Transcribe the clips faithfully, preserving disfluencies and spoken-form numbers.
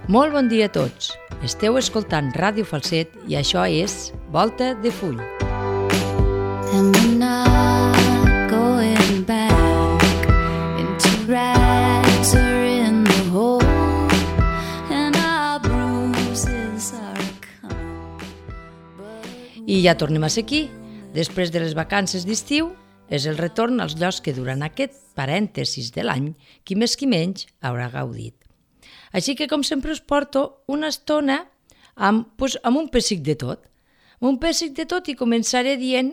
Molt bon dia a tots. Esteu escoltant Ràdio Falset i això és Volta de Full. And we're not going back into rags or in the hole, and our bruises are coming. I ja tornem a ser aquí. Després de les vacances d'estiu, és el retorn als llocs que durant aquest parèntesis de l'any, qui més qui menys haurà gaudit. Així que, com sempre, us porto una estona amb, doncs, amb un pessic de tot. Amb un pessic de tot i començaré dient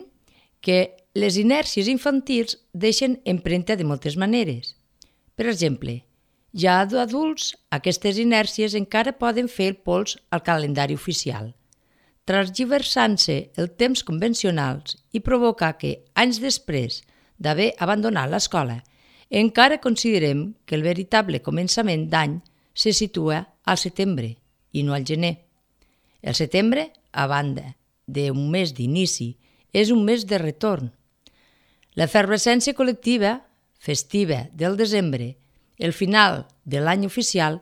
que les inèrcies infantils deixen empremta de moltes maneres. Per exemple, ja d'adults, aquestes inèrcies encara poden fer el pols al calendari oficial, transgiversant-se el temps convencionals i provocar que, anys després d'haver abandonat l'escola, encara considerem que el veritable començament d'any se situa al setembre i no al gener. El setembre, a banda d'un mes d'inici, és un mes de retorn. L'efervescència col·lectiva, festiva del desembre, el final de l'any oficial,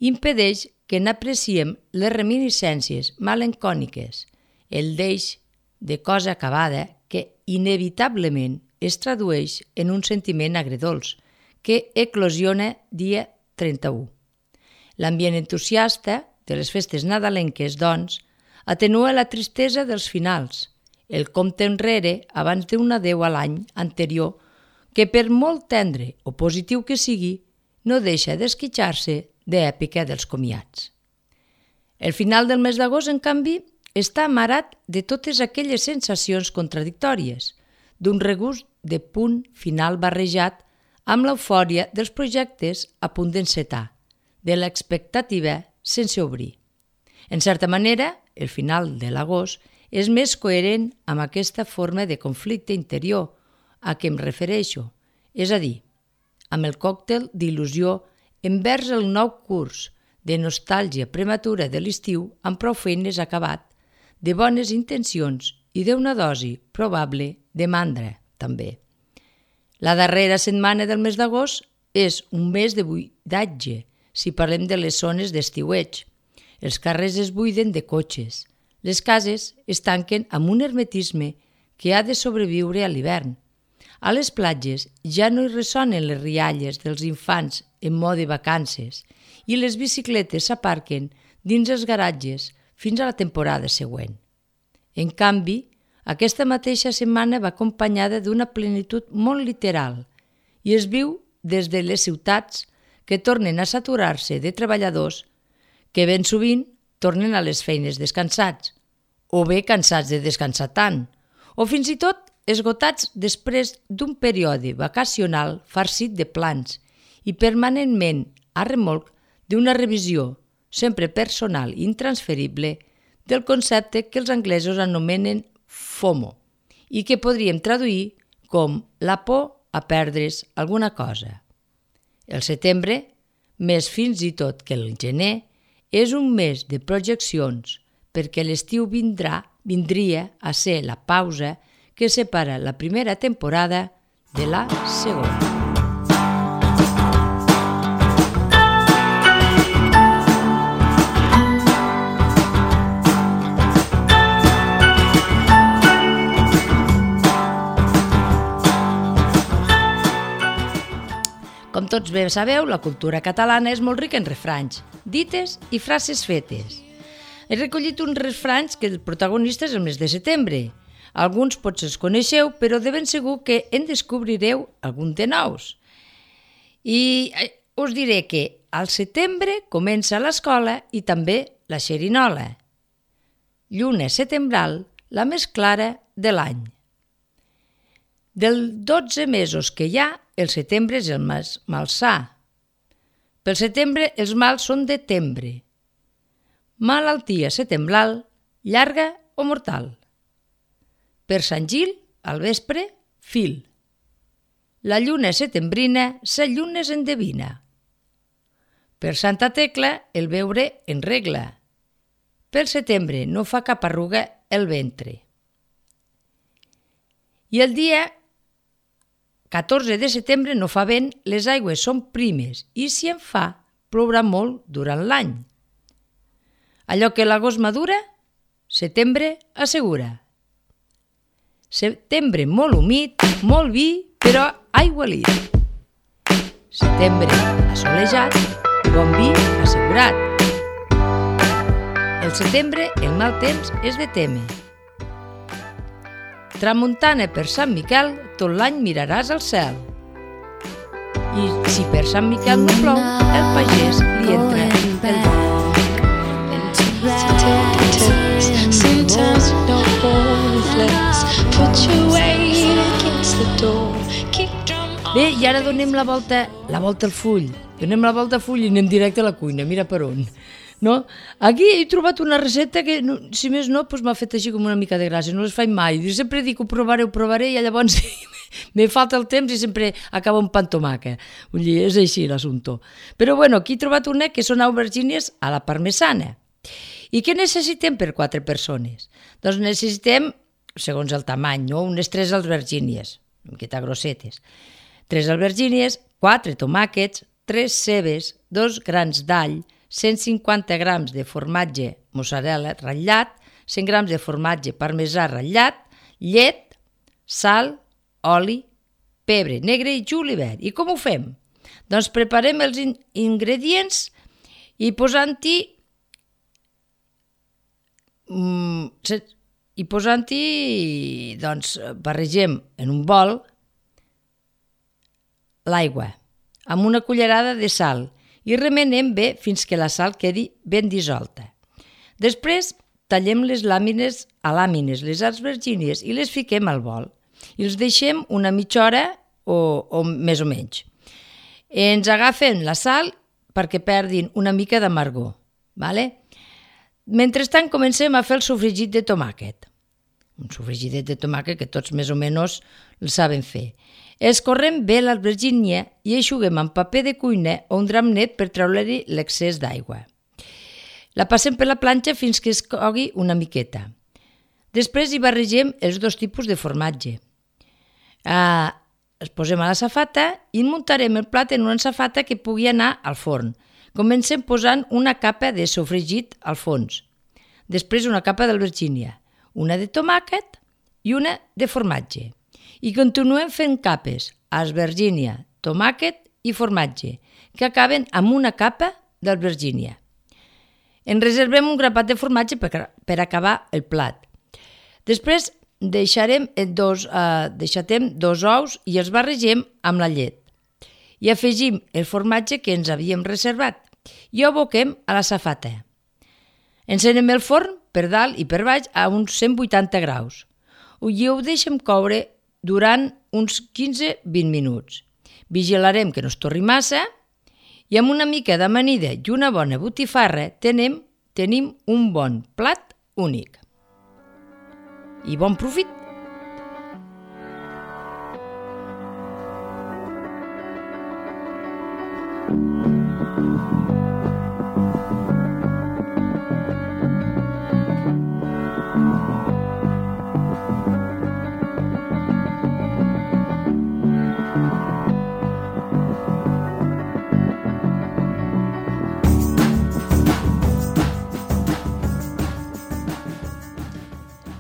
impedeix que n'apreciem les reminiscències melancòniques, el deix de cosa acabada que inevitablement es tradueix en un sentiment agredolç que eclosiona dia trenta-u. L'ambient entusiasta de les festes nadalenques, doncs, atenua la tristesa dels finals, el compte enrere abans d'un adeu a l'any anterior que, per molt tendre o positiu que sigui, no deixa d'esquitxar-se d'èpica dels comiats. El final del mes d'agost, en canvi, està amarat de totes aquelles sensacions contradictòries, d'un regust de punt final barrejat amb l'eufòria dels projectes a punt d'encetar, de l'expectativa sense obrir. En certa manera, el final de l'agost és més coherent amb aquesta forma de conflicte interior a què em refereixo, és a dir, amb el còctel d'il·lusió envers el nou curs de nostàlgia prematura de l'estiu amb prou feines acabat, de bones intencions i d'una dosi probable de mandra, també. La darrera setmana del mes d'agost és un mes de buidatge, si parlem de les zones d'estiueig. Els carrers es buiden de cotxes. Les cases es tanquen amb un hermetisme que ha de sobreviure a l'hivern. A les platges ja no hi ressonen les rialles dels infants en mode vacances i les bicicletes s'aparquen dins els garatges fins a la temporada següent. En canvi, aquesta mateixa setmana va acompanyada d'una plenitud molt literal i es viu des de les ciutats que tornen a saturar-se de treballadors que ben sovint tornen a les feines descansats, o bé cansats de descansar tant, o fins i tot esgotats després d'un període vacacional farcit de plans i permanentment a remolc d'una revisió, sempre personal i intransferible, del concepte que els anglesos anomenen FOMO i que podríem traduir com la por a perdre's alguna cosa. El setembre, més fins i tot que el gener, és un mes de projeccions perquè l'estiu vindrà, vindria a ser la pausa que separa la primera temporada de la segona. Com tots bé sabeu, la cultura catalana és molt rica en refranys, dites i frases fetes. He recollit uns refranys que el protagonista és el mes de setembre. Alguns potser els coneixeu, però de ben segur que en descobrireu algun de nous. I us diré que al setembre comença l'escola i també la xerinola. Lluna setembral, la més clara de l'any. Dels dotze mesos que hi ha, el setembre és el més malsà. Pel setembre els mals són de tembre. Malaltia setembral, llarga o mortal. Per Sant Gil, al vespre, fil. La lluna setembrina, sa lluna es endevina. Per Santa Tecla, el beure en regla. Pel setembre no fa cap arruga el ventre. I el dia catorze de setembre no fa vent, les aigües són primes i si en fa, plourà molt durant l'any. Allò que l'agost madura, setembre assegura. Setembre molt humit, molt vi, però aigualit. Setembre assolejat, bon vi assegurat. El setembre, el mal temps és de témer. Tramuntana per Sant Miquel, tot l'any miraràs al cel. I si per Sant Miquel no plou, el pagès li entra el dol. Sometimes you don't hold flex. Put your weight against the door. Kick drum on. Bé, i ara donem la volta, la volta al full. Donem la volta al full i anem directe a la cuina, mira per on. No? Aquí he trobat una recepta que, no, si més no, doncs m'ha fet així com una mica de gràcia. No les faig mai. Jo sempre dic ho provaré, ho provaré, i llavors me falta el temps i sempre acaba un pa amb tomàquet. Vull dir, és així l'assumpte. Però bueno, aquí he trobat una que són aubergínies a la parmesana. I què necessitem per quatre persones? Doncs necessitem, segons el tamany, no? Unes tres albergínies, una miqueta grossetes. Tres albergínies, quatre tomàquets, tres cebes, dos grans d'all, cent cinquanta grams de formatge mozzarella ratllat, cent grams de formatge parmesà ratllat, llet, sal, oli, pebre negre i julivert. I com ho fem? Doncs preparem els in- ingredients i posant-hi mm, i posant-hi, doncs, barregem en un bol l'aigua amb una cullerada de sal i remenem bé fins que la sal quedi ben dissolta. Després tallem les làmines a làmines, les albergínies, i les fiquem al bol i els deixem una mitja hora o, o més o menys. Ens agafen la sal perquè perdin una mica d'amargor. Vale? Mentrestant comencem a fer el sofregit de tomàquet. Un sofregitet de tomàquet que tots més o menys el saben fer. Escorrem bé l'albergínia i eixuguem amb paper de cuina o un drap net per treure-li l'excés d'aigua. La passem per la planxa fins que es cogui una miqueta. Després hi barregem els dos tipus de formatge. Ah, els posem a la safata i muntarem el plat en una safata que pugui anar al forn. Comencem posant una capa de sofregit al fons, després una capa d'albergínia, una de tomàquet i una de formatge. I continuem fent capes, albergínia, tomàquet i formatge, que acaben amb una capa d'albergínia. En reservem un grapat de formatge per, per acabar el plat. Després deixarem dos, eh, deixatem dos ous i els barregem amb la llet. I afegim el formatge que ens havíem reservat i ho aboquem a la safata. Encenem el forn per dalt i per baix a uns cent vuitanta graus i ho deixem coure durant uns quinze a vint minuts. Vigilarem que no es torri massa i amb una mica d'amanida i una bona botifarra tenim, tenim un bon plat únic. I bon profit!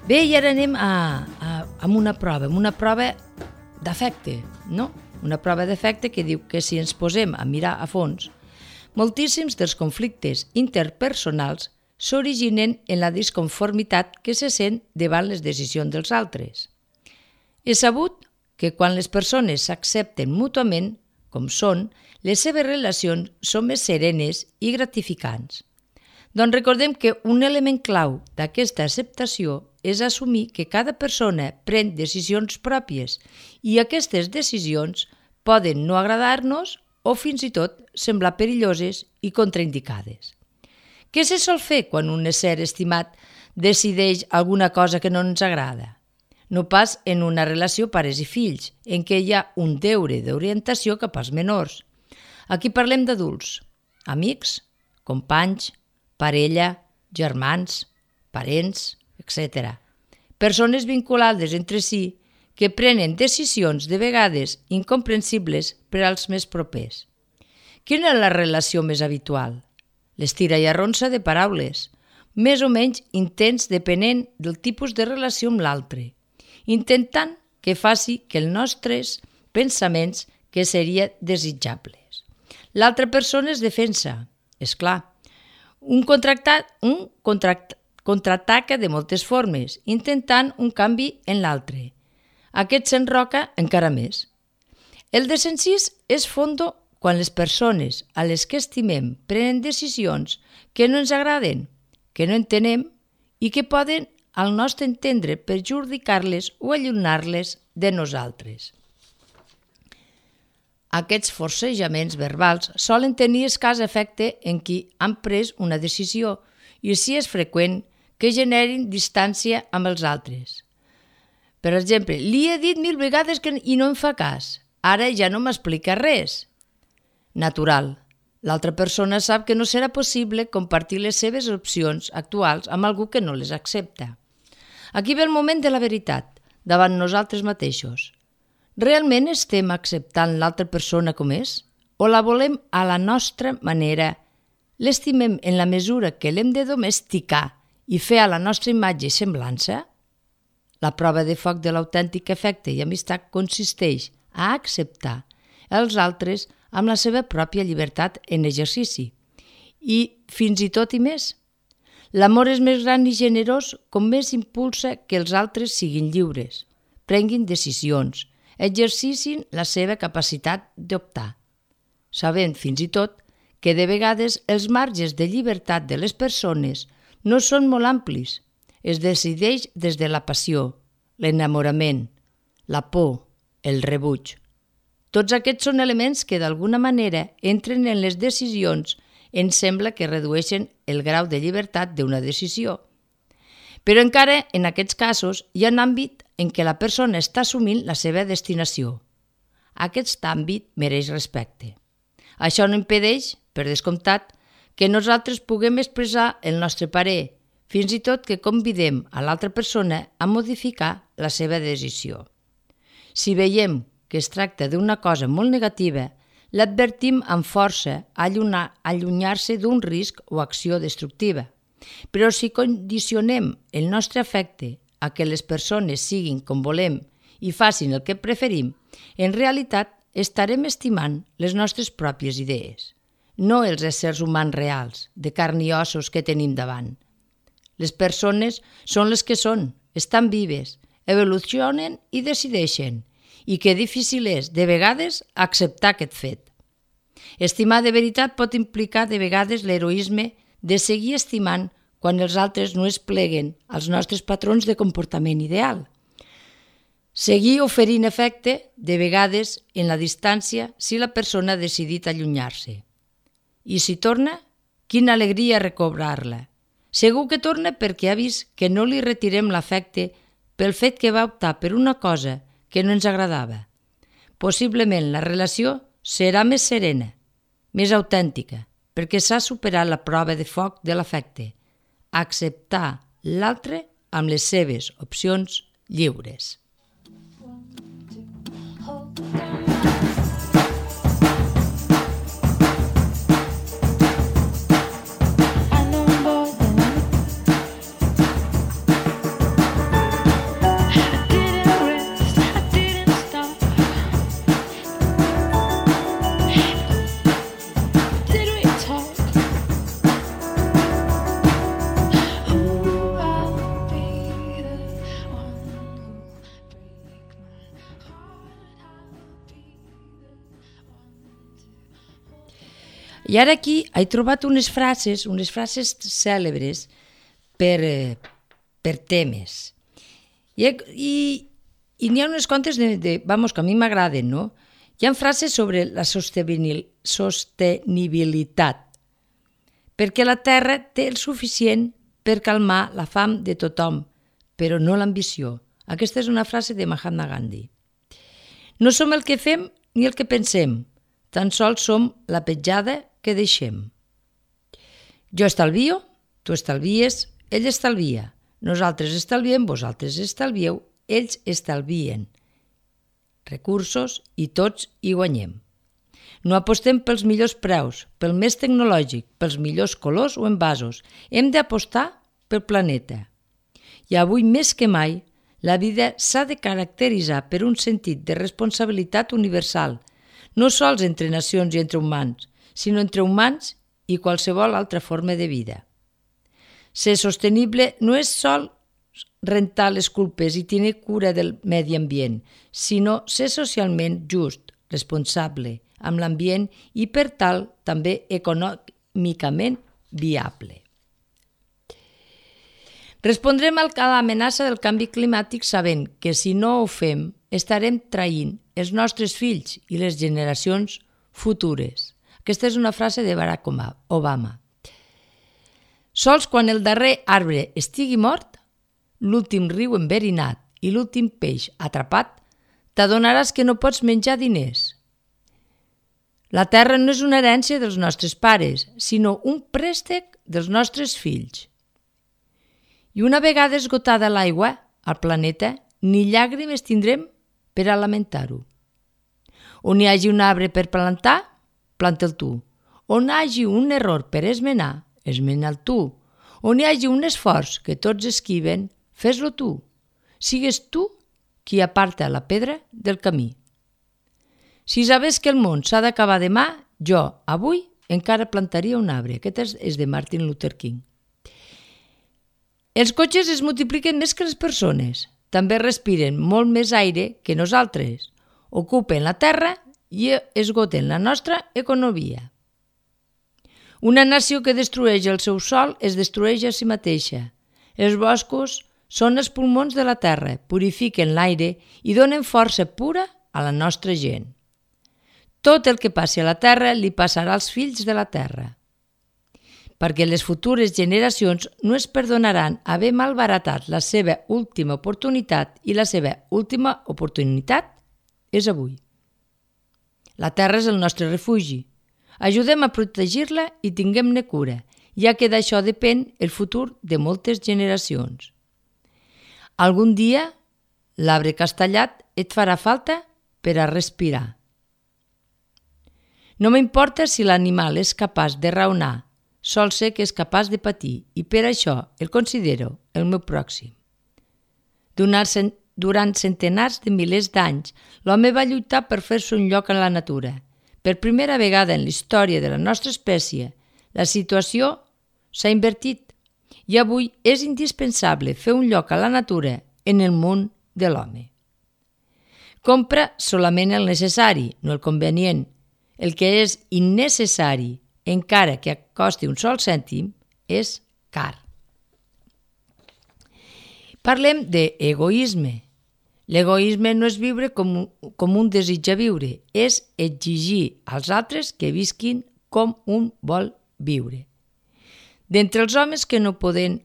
Bé, i ara anem a, a, a una prova, amb una prova d'efecte, no? Una prova d'efecte que diu que si ens posem a mirar a fons, moltíssims dels conflictes interpersonals s'originen en la disconformitat que se sent davant les decisions dels altres. És sabut que quan les persones s'accepten mútuament com són, les seves relacions són més serenes i gratificants. Doncs recordem que un element clau d'aquesta acceptació és assumir que cada persona pren decisions pròpies i aquestes decisions poden no agradar-nos o fins i tot semblar perilloses i contraindicades. Què se sol fer quan un ésser estimat decideix alguna cosa que no ens agrada? No pas en una relació pares i fills, en què hi ha un deure d'orientació cap als menors. Aquí parlem d'adults, amics, companys, parella, germans, parents, etcètera. Persones vinculades entre si que prenen decisions de vegades incomprensibles per als més propers. Quina és la relació més habitual? L'estira i arronsa de paraules, més o menys intens depenent del tipus de relació amb l'altre, intentant que faci que els nostres pensaments que serien desitjables. L'altra persona es defensa, és clar. Un, contractat, un contract, contraataca de moltes formes, intentant un canvi en l'altre. Aquest s'enroca encara més. El desencís és fondo quan les persones a les que estimem prenen decisions que no ens agraden, que no entenem i que poden, al nostre entendre, perjudicar-les o allunyar-les de nosaltres. Aquests forcejaments verbals solen tenir escàs efecte en qui han pres una decisió i així és freqüent que generin distància amb els altres. Per exemple, li he dit mil vegades que i no em fa cas. Ara ja no m'explica res. Natural. L'altra persona sap que no serà possible compartir les seves opcions actuals amb algú que no les accepta. Aquí ve el moment de la veritat, davant nosaltres mateixos. Realment estem acceptant l'altra persona com és? O la volem a la nostra manera? L'estimem en la mesura que l'hem de domesticar i fer a la nostra imatge i semblança? La prova de foc de l'autèntic afecte i amistat consisteix a acceptar els altres amb la seva pròpia llibertat en exercici i fins i tot i més. L'amor és més gran i generós com més impulsa que els altres siguin lliures, prenguin decisions, exercicin la seva capacitat d'optar, sabent fins i tot que de vegades els marges de llibertat de les persones no són molt amplis. Es decideix des de la passió, l'enamorament, la por, el rebuig. Tots aquests són elements que d'alguna manera entren en les decisions, ens sembla que redueixen el grau de llibertat d'una decisió. Però encara en aquests casos hi ha un àmbit en què la persona està assumint la seva destinació. Aquest àmbit mereix respecte. Això no impedeix, per descomptat, que nosaltres puguem expressar el nostre parer, fins i tot que convidem a l'altra persona a modificar la seva decisió. Si veiem que es tracta d'una cosa molt negativa, l'advertim amb força a allunyar-se d'un risc o acció destructiva. Però si condicionem el nostre afecte a que les persones siguin com volem i facin el que preferim, en realitat estarem estimant les nostres pròpies idees, no els éssers humans reals, de carn i ossos que tenim davant. Les persones són les que són, estan vives, evolucionen i decideixen, i que difícil és, de vegades, acceptar aquest fet. Estimar de veritat pot implicar de vegades l'heroisme de seguir estimant quan els altres no es pleguen als nostres patrons de comportament ideal. Seguir oferint efecte, de vegades, en la distància si la persona ha decidit allunyar-se. I si torna, quina alegria recobrar-la. Segur que torna perquè ha vist que no li retirem l'afecte pel fet que va optar per una cosa que no ens agradava. Possiblement la relació serà més serena, més autèntica, perquè s'ha superat la prova de foc de l'afecte, acceptar l'altre amb les seves opcions lliures. I ara aquí he trobat unes frases, unes frases cèlebres per, eh, per temes. I, i, i n'hi ha unes quantes de, de, vamos, que a mi m'agraden, no? Hi ha frases sobre la sostenibilitat, perquè la Terra té el suficient per calmar la fam de tothom, però no l'ambició. Aquesta és una frase de Mahatma Gandhi. No som el que fem ni el que pensem, tan sols som la petjada que deixem. Jo estalvio, tu estalvies, ell estalvia. Nosaltres estalviem, vosaltres estalvieu, ells estalvien. Recursos i tots hi guanyem. No apostem pels millors preus, pel més tecnològic, pels millors colors o envasos. Hem d'apostar pel planeta. I avui més que mai, la vida s'ha de caracteritzar per un sentit de responsabilitat universal, no sols entre nacions i entre humans, sinó entre humans i qualsevol altra forma de vida. Ser sostenible no és sol rentar les culpes i tenir cura del medi ambient, sinó ser socialment just, responsable amb l'ambient i, per tal, també econòmicament viable. Respondrem a l'amenaça del canvi climàtic sabent que si no ho fem estarem traint els nostres fills i les generacions futures. Aquesta és una frase de Barack Obama. Sols quan el darrer arbre estigui mort, l'últim riu enverinat i l'últim peix atrapat, t'adonaràs que no pots menjar diners. La terra no és una herència dels nostres pares, sinó un préstec dels nostres fills. I una vegada esgotada l'aigua al planeta, ni llàgrimes tindrem per a lamentar-ho. On hi hagi un arbre per plantar, planta'l tu. On hi hagi un error per esmenar, esmena'l tu. On hi hagi un esforç que tots esquiven, fes-lo tu. Sigues tu qui aparta la pedra del camí. Si sabés que el món s'ha d'acabar demà, jo, avui, encara plantaria un arbre. Aquest és de Martin Luther King. Els cotxes es multipliquen més que les persones. També respiren molt més aire que nosaltres. Ocupen la terra i esgoten la nostra economia. Una nació que destrueix el seu sòl es destrueix a si mateixa. Els boscos són els pulmons de la terra, purifiquen l'aire i donen força pura a la nostra gent. Tot el que passi a la terra li passarà als fills de la terra, perquè les futures generacions no es perdonaran haver malbaratat la seva última oportunitat i la seva última oportunitat és avui. La terra és el nostre refugi. Ajudem a protegir-la i tinguem-ne cura, ja que d'això depèn el futur de moltes generacions. Algun dia l'arbre castellat et farà falta per a respirar. No m'importa si l'animal és capaç de raonar, sol ser que és capaç de patir i per això el considero el meu pròxim. Durant centenars de milers d'anys, l'home va lluitar per fer-se un lloc en la natura. Per primera vegada en la història de la nostra espècie, la situació s'ha invertit i avui és indispensable fer un lloc a la natura en el món de l'home. Compra solament el necessari, no el convenient. El que és innecessari, encara que costi un sol cèntim, és car. Parlem d'egoisme. L'egoisme no és viure com, com un desitja viure, és exigir als altres que visquin com un vol viure. D'entre els homes que no poden,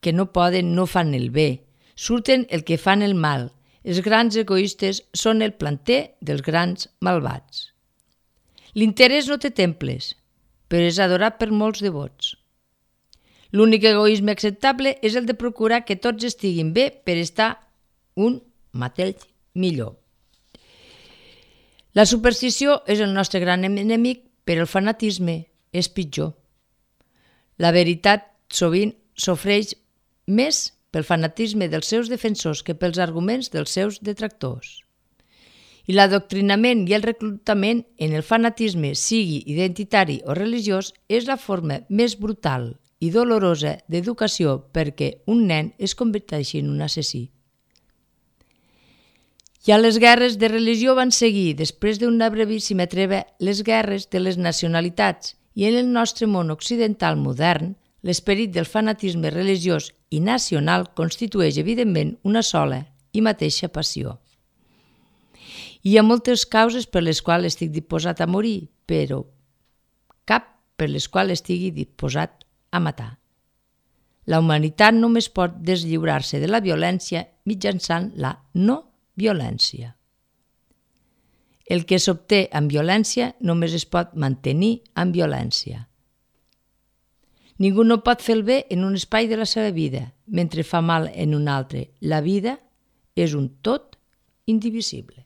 que no poden no fan el bé, surten el que fan el mal. Els grans egoistes són el planter dels grans malvats. L'interès no té temples, però és adorat per molts devots. L'únic egoisme acceptable és el de procurar que tots estiguin bé per estar un mateix millor. La superstició és el nostre gran enemic, però el fanatisme és pitjor. La veritat sovint sofreix més pel fanatisme dels seus defensors que pels arguments dels seus detractors. I l'adoctrinament i el reclutament en el fanatisme, sigui identitari o religiós, és la forma més brutal i dolorosa d'educació perquè un nen es converteixi en un assassí. Ja les guerres de religió van seguir, després d'una brevíssima treva, les guerres de les nacionalitats, i en el nostre món occidental modern, l'esperit del fanatisme religiós i nacional constitueix evidentment una sola i mateixa passió. Hi ha moltes causes per les quals estic disposat a morir, però cap per les quals estigui disposat a matar. La humanitat només pot deslliurar-se de la violència mitjançant la no violència. El que s'obté amb violència només es pot mantenir amb violència. Ningú no pot fer el bé en un espai de la seva vida, mentre fa mal en un altre. La vida és un tot indivisible.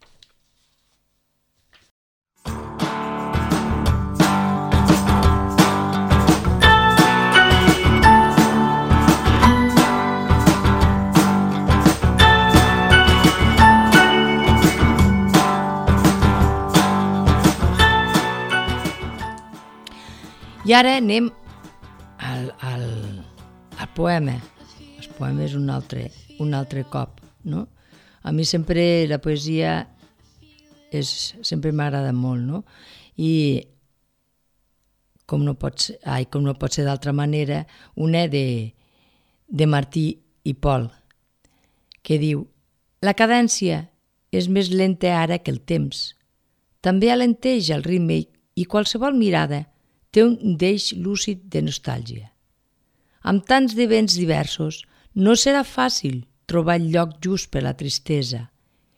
I ara anem al, al, al poema. El poema és un altre, un altre cop, no? A mi sempre la poesia és, sempre m'agrada molt, no? I com no pot ser, ai, com no pot ser d'altra manera, una de, de Martí i Pol, que diu: la cadència és més lenta ara que el temps. També alenteix el ritme i qualsevol mirada té un deix lúcid de nostàlgia. Amb tants de vents diversos no serà fàcil trobar el lloc just per la tristesa,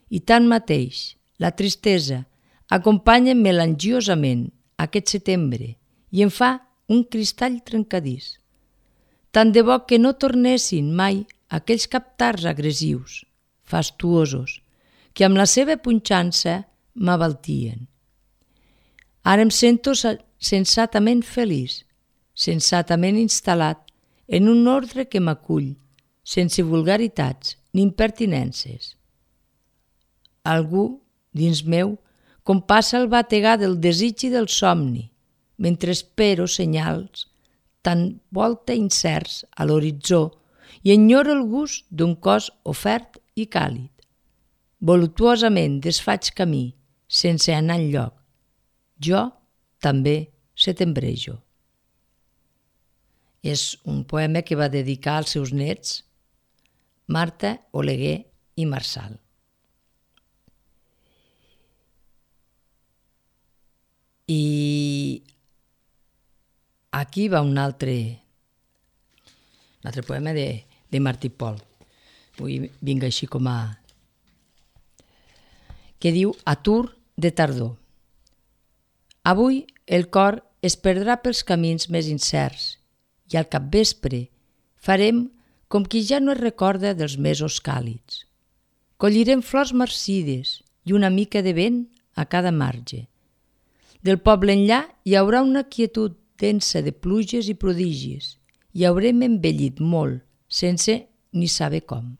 i tanmateix la tristesa acompanya melangiosament aquest setembre i en fa un cristall trencadís. Tant de bo que no tornessin mai aquells captars agressius, fastuosos, que amb la seva punxança m'abaltien. Ara em sento sensatament feliç, sensatament instal·lat en un ordre que m'acull, sense vulgaritats ni impertinències. Algú, dins meu, compassa el bategar del desig i del somni, mentre espero senyals tan volta incerts a l'horitzó i enyoro el gust d'un cos ofert i càlid. Voluptuosament desfaig camí, sense anar enlloc. Jo també setembrejo. És un poema que va dedicar als seus nets, Marta, Oleguer i Marçal. I aquí va un altre, un altre poema de, de Martí i Pol. Avui vinc així com a... que diu Atur de tardor. Avui el cor es perdrà pels camins més incerts i al capvespre farem com qui ja no es recorda dels mesos càlids. Collirem flors marcides i una mica de vent a cada marge. Del poble enllà hi haurà una quietud densa de pluges i prodigis i haurem envellit molt, sense ni saber com.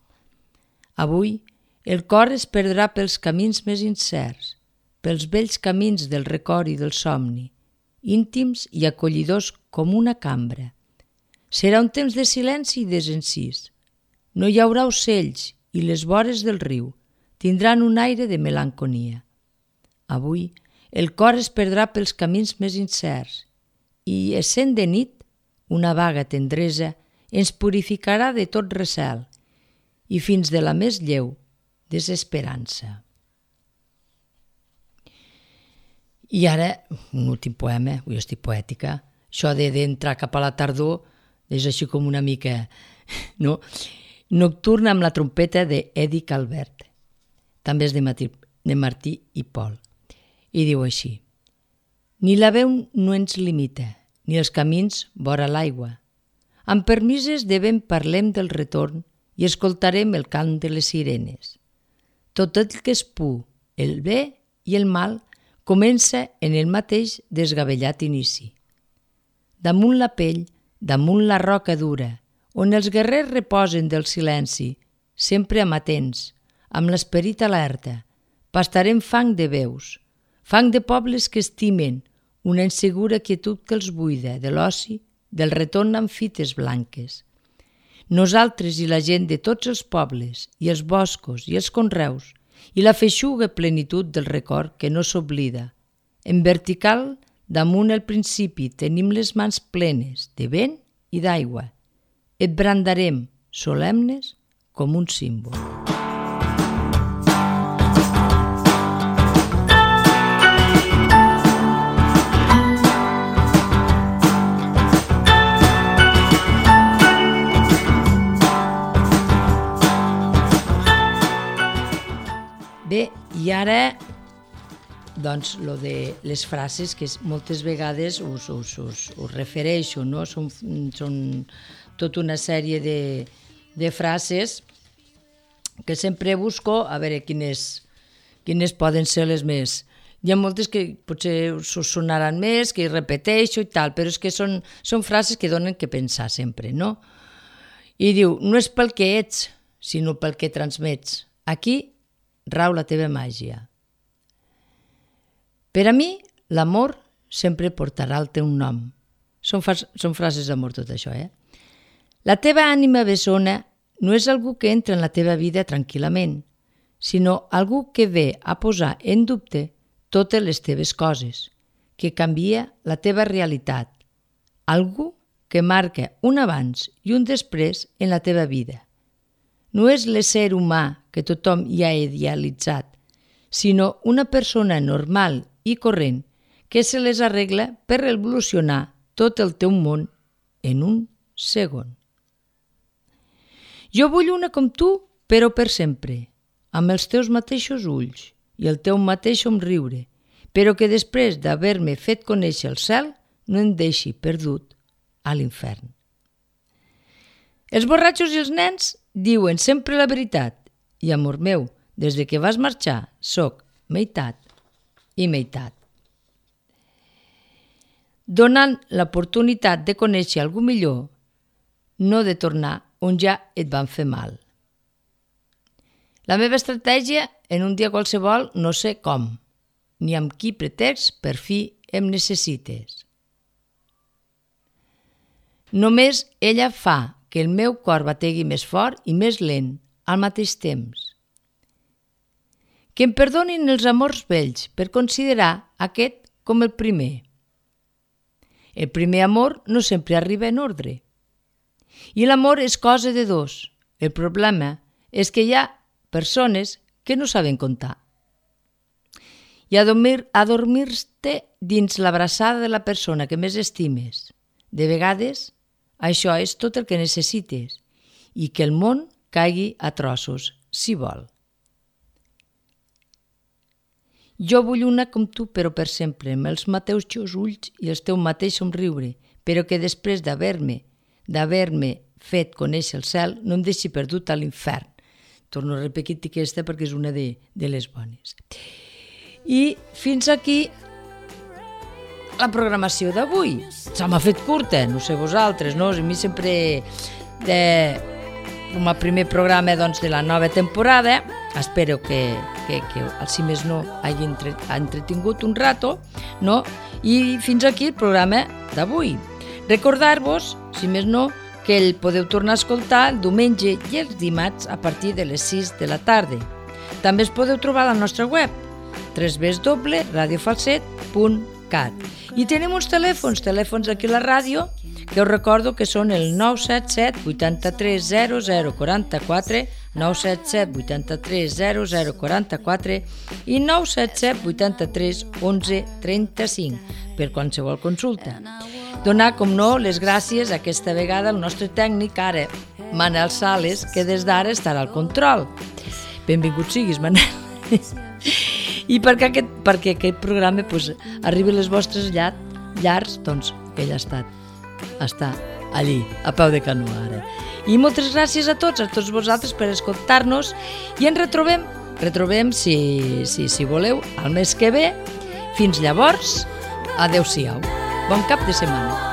Avui el cor es perdrà pels camins més incerts, pels vells camins del record i del somni, íntims i acollidors com una cambra. Serà un temps de silenci i desencís. No hi haurà ocells i les vores del riu tindran un aire de melanconia. Avui el cor es perdrà pels camins més incerts i, essent de nit, una vaga tendresa ens purificarà de tot recel i fins de la més lleu desesperança. I ara, un últim poema, avui estic poètica, això d'entrar cap a la tardor és així com una mica... no? Nocturna amb la trompeta d'Edi Calvert. També és de Martí, de Martí i Pol. I diu així: ni la veu no ens limita, ni els camins vora l'aigua. Amb permises de vent parlem del retorn i escoltarem el cant de les sirenes. Tot el que és pur, el bé i el mal, comença en el mateix desgavellat inici. Damunt la pell, damunt la roca dura, on els guerrers reposen del silenci, sempre amatents, amb l'esperit alerta, pastarem fang de veus, fang de pobles que estimen, una insegura quietud que els buida de l'oci, del retorn amb fites blanques. Nosaltres i la gent de tots els pobles, i els boscos i els conreus, i la feixuga plenitud del record que no s'oblida. En vertical, damunt el principi, tenim les mans plenes de vent i d'aigua. Et brandarem, solemnes, com un símbol. Bé, i ara, doncs, lo de les frases que moltes vegades us, us, us, us refereixo, no? Són, són tota una sèrie de, de frases que sempre busco a veure quines, quines poden ser les més. Hi ha moltes que potser us sonaran més, que repeteixo i tal, però és que són, són frases que donen que pensar sempre, no? I diu, no és pel que ets, sinó pel que transmets. Aquí rau la teva màgia. Per a mi, l'amor sempre portarà el teu nom. Són, fas, són frases d'amor tot això, eh? La teva ànima bessona no és algú que entra en la teva vida tranquil·lament, sinó algú que ve a posar en dubte totes les teves coses, que canvia la teva realitat, algú que marca un abans i un després en la teva vida. No és l'ésser humà que tothom hi ha idealitzat, sinó una persona normal i corrent que se les arregla per revolucionar tot el teu món en un segon. Jo vull una com tu, però per sempre, amb els teus mateixos ulls i el teu mateix somriure, però que després d'haver-me fet conèixer el cel no em deixi perdut a l'infern. Els borratxos i els nens diuen sempre la veritat i, amor meu, des de que vas marxar, soc meitat i meitat. Donant l'oportunitat de conèixer algú millor, no de tornar on ja et van fer mal. La meva estratègia, en un dia qualsevol, no sé com, ni amb qui pretext per fi em necessites. Només ella fa que el meu cor bategui més fort i més lent al mateix temps. Que em perdonin els amors vells per considerar aquest com el primer. El primer amor no sempre arriba en ordre. I l'amor és cosa de dos. El problema és que hi ha persones que no saben comptar. I adormir, adormir-te dins l'abraçada de la persona que més estimes. De vegades, això és tot el que necessites i que el món caigui a trossos, si vol. Jo vull una com tu, però per sempre, amb els mateixos ulls i el teu mateix somriure, però que després d'haver-me d'haver-me fet conèixer el cel no em deixi perdut a l'infern. Torno a repetir aquesta perquè és una de, de les bones. I fins aquí la programació d'avui. Se m'ha fet curta, no sé vosaltres, no? A mi sempre, de, com a primer programa doncs, de la nova temporada, espero que, que, que si més no hagi entre, entretingut un rato, no? I fins aquí el programa d'avui. Recordar-vos, si més no, que el podeu tornar a escoltar el diumenge i els dimarts a partir de les sis de la tarda. També es podeu trobar a la nostra web, w w w punt radio falset punt cat. I tenim uns telèfons, telèfons aquí a la ràdio, que us recordo que són el nou set set vuitanta-tres zero zero quaranta-quatre, nou set set vuitanta-tres zero zero quaranta-quatre i nou set set vuitanta-tres onze trenta-cinc per qualsevol consulta. Donar, com no, les gràcies aquesta vegada al nostre tècnic, ara, Manel Sales, que des d'ara estarà al control. Benvingut siguis, Manel. I perquè aquest, perquè aquest programa pues, arribi a les vostres llar, llars, doncs ell ha estat, està allí, a peu de canó ara. I moltes gràcies a tots, a tots vosaltres per escoltar-nos i ens retrobem, retrobem si, si, si voleu, al mes que ve. Fins llavors, adeu-siau. Bon cap de setmana.